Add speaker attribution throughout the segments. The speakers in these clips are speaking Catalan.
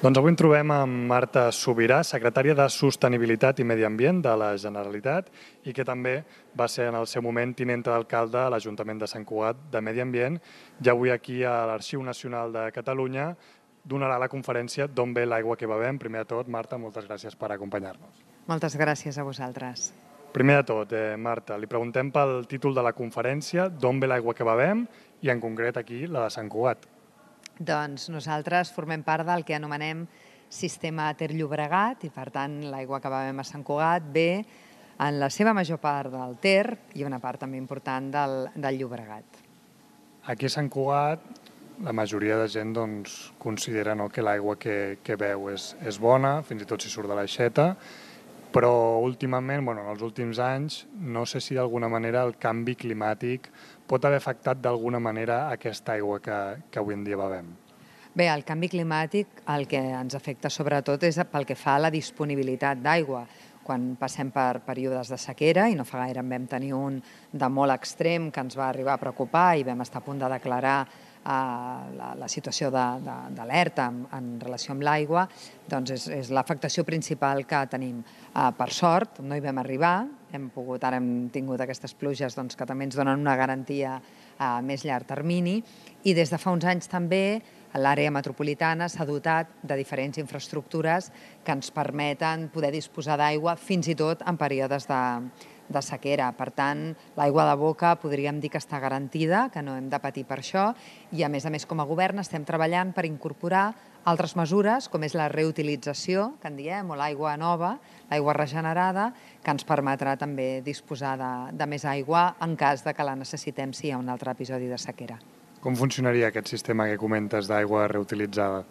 Speaker 1: Doncs avui ens trobem amb Marta Subirà, secretària de Sostenibilitat i Medi Ambient de la Generalitat i que també va ser en el seu moment tinenta d'alcalde a l'Ajuntament de Sant Cugat de Medi Ambient i avui aquí a l'Arxiu Nacional de Catalunya donarà la conferència D'on ve l'aigua que bevem. Primer de tot, Marta, moltes gràcies per acompanyar-nos.
Speaker 2: Moltes gràcies a vosaltres.
Speaker 1: Primer de tot, Marta, li preguntem pel títol de la conferència D'on ve l'aigua que bevem i en concret aquí la de Sant Cugat.
Speaker 2: Doncs nosaltres formem part del que anomenem sistema Ter-Llobregat i, per tant, l'aigua que bevem a Sant Cugat ve en la seva major part del Ter i una part també important del Llobregat.
Speaker 1: Aquí a Sant Cugat la majoria de gent considera que l'aigua que beu és bona, fins i tot si surt de l'aixeta, però últimament, en els últims anys, no sé si d'alguna manera el canvi climàtic pot haver afectat d'alguna manera aquesta aigua que avui en dia bevem.
Speaker 2: Bé, el canvi climàtic el que ens afecta sobretot és pel que fa a la disponibilitat d'aigua. Quan passem per períodes de sequera, i no fa gaire en vam tenir un de molt extrem que ens va arribar a preocupar i vam estar a punt de declarar la situació d'alerta en relació amb l'aigua, doncs és l'afectació principal que tenim. Per sort, no hi vam arribar, ara hem tingut aquestes pluges que també ens donen una garantia a més llarg termini, i des de fa uns anys també l'àrea metropolitana s'ha dotat de diferents infraestructures que ens permeten poder disposar d'aigua fins i tot en períodes de sequera. Per tant, l'aigua de boca podríem dir que està garantida, que no hem de patir per això, i a més, com a govern estem treballant per incorporar altres mesures, com és la reutilització, que en diem, o l'aigua nova, l'aigua regenerada, que ens permetrà també disposar de més aigua en cas que la necessitem si hi ha un altre episodi de sequera.
Speaker 1: Com funcionaria aquest sistema que comentes d'aigua reutilitzada?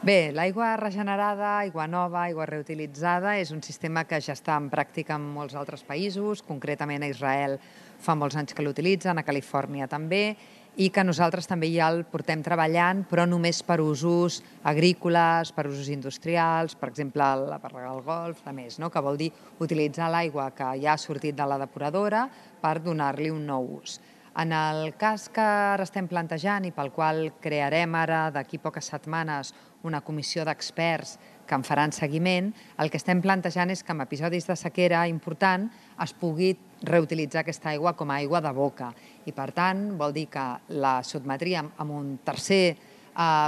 Speaker 2: Bé, l'aigua regenerada, aigua nova, aigua reutilitzada és un sistema que ja està en pràctica en molts altres països, concretament a Israel fa molts anys que l'utilitzen, a Califòrnia també, i que nosaltres també ja el portem treballant, però només per usos agrícoles, per usos industrials, per exemple, per regar el golf, que vol dir utilitzar l'aigua que ja ha sortit de la depuradora per donar-li un nou ús. En el cas que ara estem plantejant i pel qual crearem ara d'aquí poques setmanes una comissió d'experts que en faran seguiment, el que estem plantejant és que en episodis de sequera important es pugui reutilitzar aquesta aigua com a aigua de boca. I per tant vol dir que la sotmetríem a un tercer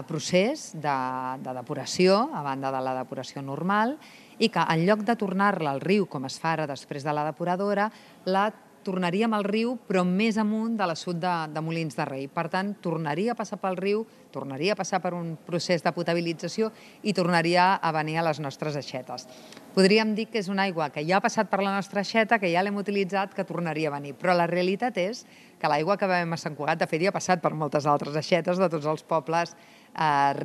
Speaker 2: procés de depuració, a banda de la depuració normal, i que en lloc de tornar-la al riu, com es fa ara després de la depuradora, la tornaríem al riu, però més amunt de l'assut de Molins de Rei. Per tant, tornaria a passar pel riu, tornaria a passar per un procés de potabilització i tornaria a venir a les nostres aixetes. Podríem dir que és una aigua que ja ha passat per la nostra aixeta, que ja l'hem utilitzat, que tornaria a venir. Però la realitat és que l'aigua que bevem a Sant Cugat, de fet, ja ha passat per moltes altres aixetes de tots els pobles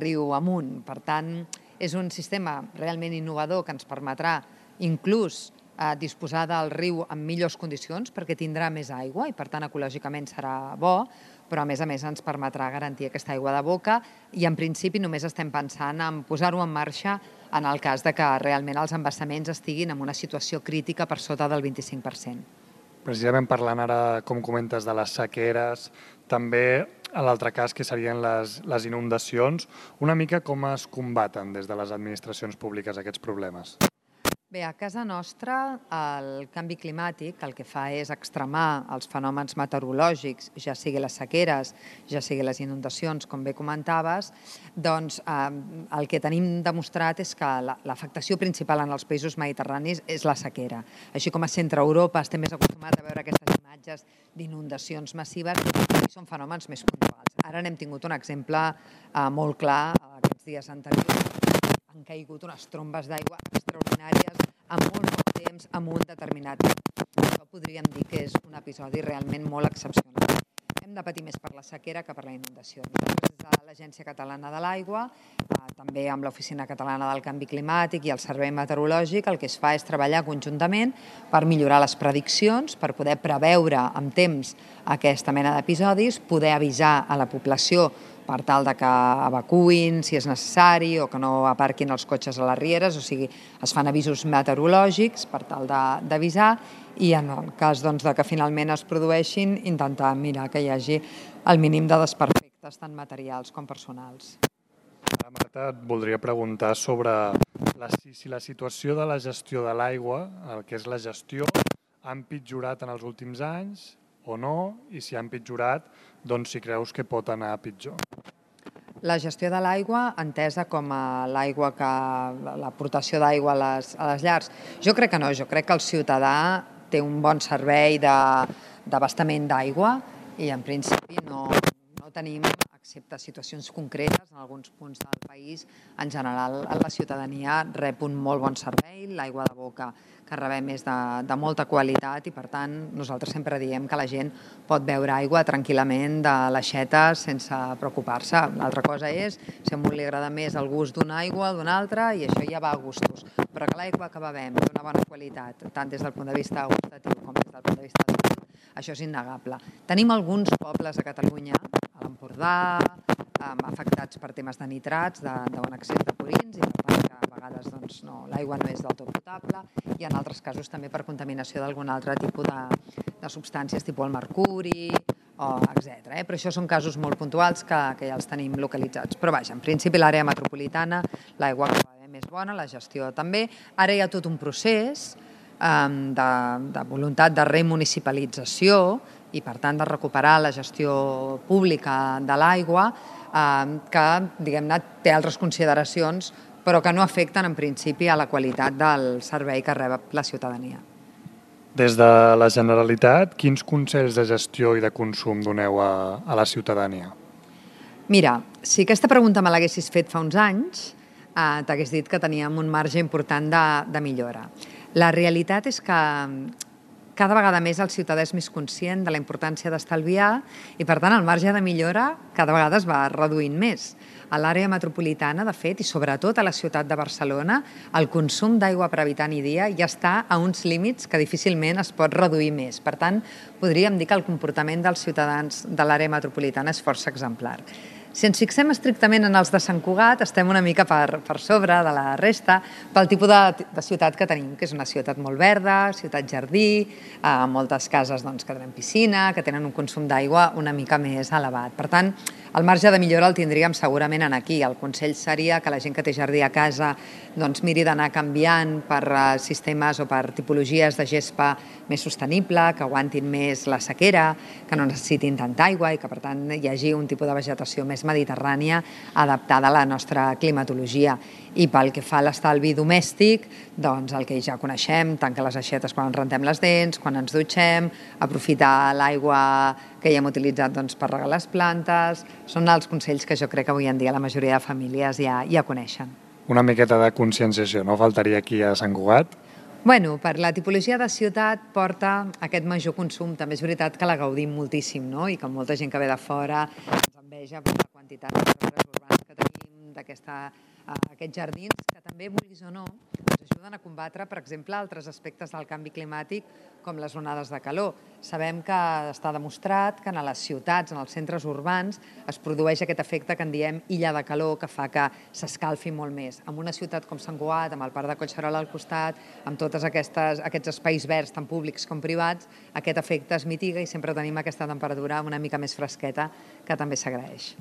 Speaker 2: riu amunt. Per tant, és un sistema realment innovador que ens permetrà inclús disposar del riu en millors condicions perquè tindrà més aigua i per tant ecològicament serà bo, però a més ens permetrà garantir aquesta aigua de boca i en principi només estem pensant en posar-ho en marxa en el cas que realment els embassaments estiguin en una situació crítica per sota del 25%.
Speaker 1: Precisament parlant ara, com comentes, de les sequeres, també a l'altre cas que serien les inundacions, una mica com es combaten des de les administracions públiques aquests problemes?
Speaker 2: Bé, a casa nostra el canvi climàtic el que fa és extremar els fenòmens meteorològics, ja sigui les sequeres, ja sigui les inundacions, com bé comentaves, doncs el que tenim demostrat és que l'afectació principal en els països mediterranis és la sequera. Així com a centre Europa estem més acostumats a veure aquestes imatges d'inundacions massives, són fenòmens més puntuals. Ara n'hem tingut un exemple molt clar aquests dies anteriors. Han caigut unes trombes d'aigua extraordinàries en molt temps en un determinat temps. Això podríem dir que és un episodi realment molt excepcional. Hem de patir més per la sequera que per la inundació. Nosaltres, des de l'Agència Catalana de l'Aigua, també amb l'Oficina Catalana del Canvi Climàtic i el Servei Meteorològic, el que es fa és treballar conjuntament per millorar les prediccions, per poder preveure amb temps aquesta mena d'episodis, poder avisar a la població per tal que evacuïn si és necessari o que no aparquin els cotxes a les rieres, o sigui, es fan avisos meteorològics per tal d'avisar i en el cas que finalment es produeixin, intentar mirar que hi hagi el mínim de desperfectes tant materials com personals.
Speaker 1: Ara, Marta, et voldria preguntar sobre si la situació de la gestió de l'aigua, el que és la gestió, ha empitjorat en els últims anys o no, i si ha empitjorat, doncs si creus que pot anar a pitjor.
Speaker 2: La gestió de l'aigua, entesa com a l'aigua l'aportació d'aigua a les llars, jo crec que no, jo crec que el ciutadà té un bon servei d'abastament d'aigua i en principi no tenim, excepte situacions concretes en alguns punts del país, en general la ciutadania rep un molt bon servei, l'aigua de boca que rebem és de molta qualitat i per tant nosaltres sempre diem que la gent pot beure aigua tranquil·lament de l'aixeta sense preocupar-se. L'altra cosa és si a un li agrada més el gust d'una aigua o d'una altra i això ja va a gustos, però que l'aigua que bevem d'una bona qualitat, tant des del punt de vista gustatiu com des del punt de vista de salut, això és innegable. Tenim alguns pobles a Catalunya, a l'Empordà, afectats per temes de nitrats, de bon excés de purins, i per tant que a vegades l'aigua no és del tot potable, i en altres casos també per contaminació d'algun altre tipus de substàncies, tipus el mercuri, etc. Però això són casos molt puntuals que ja els tenim localitzats. Però vaja, en principi l'àrea metropolitana, l'aigua que bevem és bona, la gestió també. Ara hi ha tot un procés de voluntat de remunicipalització i, per tant, de recuperar la gestió pública de l'aigua que, diguem-ne, té altres consideracions, però que no afecten, en principi, a la qualitat del servei que rep la ciutadania.
Speaker 1: Des de la Generalitat, quins consells de gestió i de consum doneu a la ciutadania?
Speaker 2: Mira, si aquesta pregunta me l'haguessis fet fa uns anys, t'hagués dit que teníem un marge important de millora. La realitat és que cada vegada més el ciutadà és més conscient de la importància d'estalviar i, per tant, el marge de millora cada vegada es va reduint més. A l'àrea metropolitana, de fet, i sobretot a la ciutat de Barcelona, el consum d'aigua per habitant i dia ja està a uns límits que difícilment es pot reduir més. Per tant, podríem dir que el comportament dels ciutadans de l'àrea metropolitana és força exemplar. Si ens fixem estrictament en els de Sant Cugat, estem una mica per sobre de la resta pel tipus de ciutat que tenim, que és una ciutat molt verda, ciutat jardí, moltes cases que tenen piscina, que tenen un consum d'aigua una mica més elevat. Per tant, el marge de millora el tindríem segurament aquí. El consell seria que la gent que té jardí a casa miri d'anar canviant per sistemes o per tipologies de gespa més sostenible, que aguantin més la sequera, que no necessitin tanta aigua i que, per tant, hi hagi un tipus de vegetació més mediterrània adaptada a la nostra climatologia. I pel que fa a l'estalvi domèstic, el que ja coneixem, tancar les aixetes quan ens rentem les dents, quan ens dutxem, aprofitar l'aigua que ja hem utilitzat per regar les plantes, són els consells que jo crec que avui en dia la majoria de famílies ja coneixen.
Speaker 1: Una miqueta de conscienciació, no faltaria aquí a Sant Cugat?
Speaker 2: Bueno, per la tipologia de ciutat porta aquest major consum. També és veritat que la gaudim moltíssim, no? I que molta gent que ve de fora ens enveja per la quantitat d'arbres urbans que tenim, aquests jardins, que també, vulguis o no, ens ajuden a combatre, per exemple, altres aspectes del canvi climàtic, com les onades de calor. Sabem que està demostrat que a les ciutats, en els centres urbans, es produeix aquest efecte que en diem illa de calor, que fa que s'escalfi molt més. En una ciutat com Sant Cugat, amb el Parc de Collserola al costat, amb tots aquests espais verds, tant públics com privats, aquest efecte es mitiga i sempre tenim aquesta temperatura una mica més fresqueta, que també s'agraeix.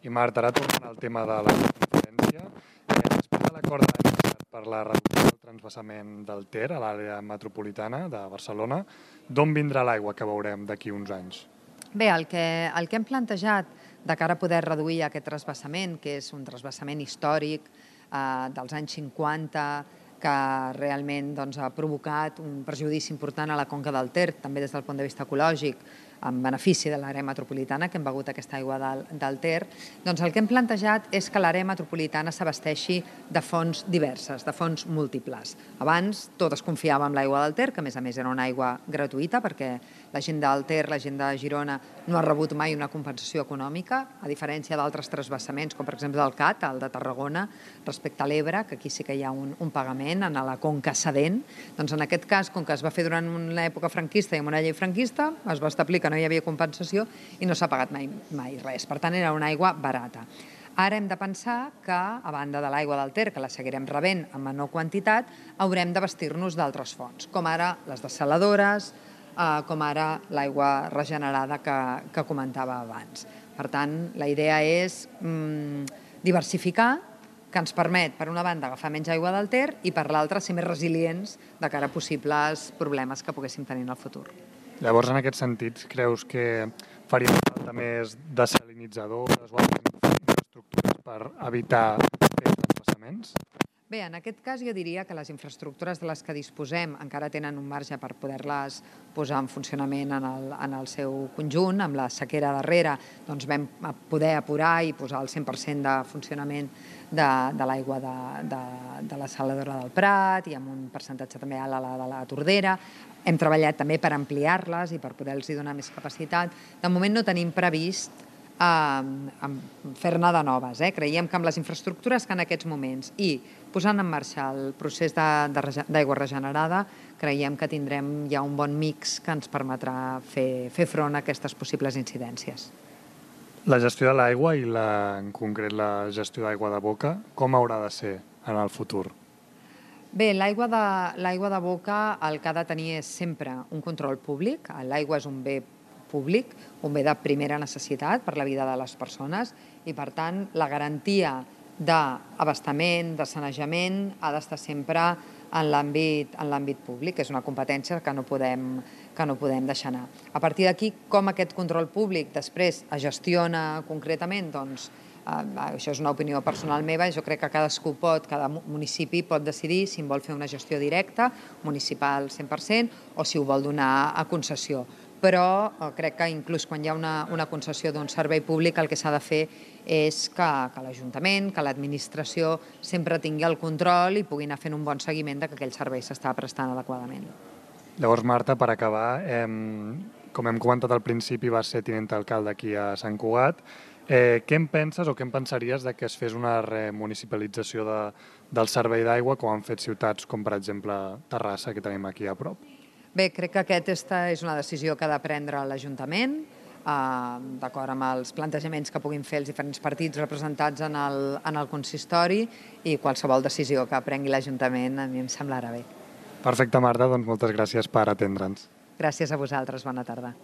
Speaker 1: I Marta, ara tornant al tema de la transferència, després de l'acord de l'any passat per la reducció del transvasament del Ter a l'àrea metropolitana de Barcelona, d'on vindrà l'aigua que veurem d'aquí uns anys?
Speaker 2: Bé, el que hem plantejat de cara a poder reduir aquest transvasament, que és un transvasament històric dels anys 50, que realment ha provocat un perjudici important a la conca del Ter, també des del punt de vista ecològic, en benefici de l'àrea metropolitana, que hem begut aquesta aigua del Ter, doncs el que hem plantejat és que l'àrea metropolitana s'abasteixi de fonts diverses, de fonts múltiples. Abans tot es confiava en l'aigua del Ter, que a més era una aigua gratuïta, perquè la gent del Ter, la gent de Girona, no ha rebut mai una compensació econòmica, a diferència d'altres transvasaments, com per exemple del Cat, el de Tarragona, respecte a l'Ebre, que aquí sí que hi ha un pagament a la conca cedent. Doncs en aquest cas, com que es va fer durant una època franquista i amb una llei franquista, es va establir que no hi havia compensació i no s'ha pagat mai res. Per tant, era una aigua barata. Ara hem de pensar que, a banda de l'aigua del Ter, que la seguirem rebent en menor quantitat, haurem de vestir-nos d'altres fonts, com ara les dessaladores, com ara l'aigua regenerada que comentava abans. Per tant, la idea és diversificar, que ens permet, per una banda, agafar menys aigua del Ter i, per l'altra, ser més resilients de cara a possibles problemes que poguéssim tenir en el futur.
Speaker 1: Llavors, en aquest sentit, creus que faria falta més desalinitzadors o altres infraestructures per evitar aquests transvasaments?
Speaker 2: Bé, en aquest cas jo diria que les infraestructures de les que disposem encara tenen un marge per poder-les posar en funcionament en el seu conjunt. Amb la sequera darrere doncs vam poder apurar i posar el 100% de funcionament de l'aigua de la saladora del Prat i amb un percentatge també alt a la de la Tordera. Hem treballat també per ampliar-les i per poder-los donar més capacitat. De moment no tenim previst fer-ne de noves. Creiem que amb les infraestructures que en aquests moments i posant en marxa el procés d'aigua regenerada, creiem que tindrem ja un bon mix que ens permetrà fer front a aquestes possibles incidències.
Speaker 1: La gestió de l'aigua i en concret la gestió d'aigua de boca, com haurà de ser en el futur?
Speaker 2: Bé, l'aigua de boca el que ha de tenir és sempre un control públic. L'aigua és un bé públic, un bé de primera necessitat per la vida de les persones i, per tant, la garantia d'abastament, de sanejament, ha d'estar sempre en l'àmbit públic. És una competència que no podem deixar anar. A partir d'aquí, com aquest control públic després es gestiona concretament, doncs això és una opinió personal meva. Jo crec que cada municipi pot decidir si en vol fer una gestió directa, municipal 100%, o si ho vol donar a concessió. Però crec que inclús quan hi ha una concessió d'un servei públic el que s'ha de fer és que l'Ajuntament, que l'administració sempre tingui el control i pugui anar fent un bon seguiment que aquell servei s'està prestant adequadament.
Speaker 1: Llavors, Marta, per acabar, com hem comentat al principi, vas ser tinent d'alcalde aquí a Sant Cugat. Què en penses o què en pensaries que es fes una remunicipalització del servei d'aigua com han fet ciutats com, per exemple, Terrassa, que tenim aquí a prop?
Speaker 2: Bé, crec que aquesta és una decisió que ha de prendre l'Ajuntament, d'acord amb els plantejaments que puguin fer els diferents partits representats en el consistori, i qualsevol decisió que prengui l'Ajuntament a mi em semblarà bé.
Speaker 1: Perfecte, Marta, doncs moltes gràcies per atendre'ns.
Speaker 2: Gràcies a vosaltres, bona tarda.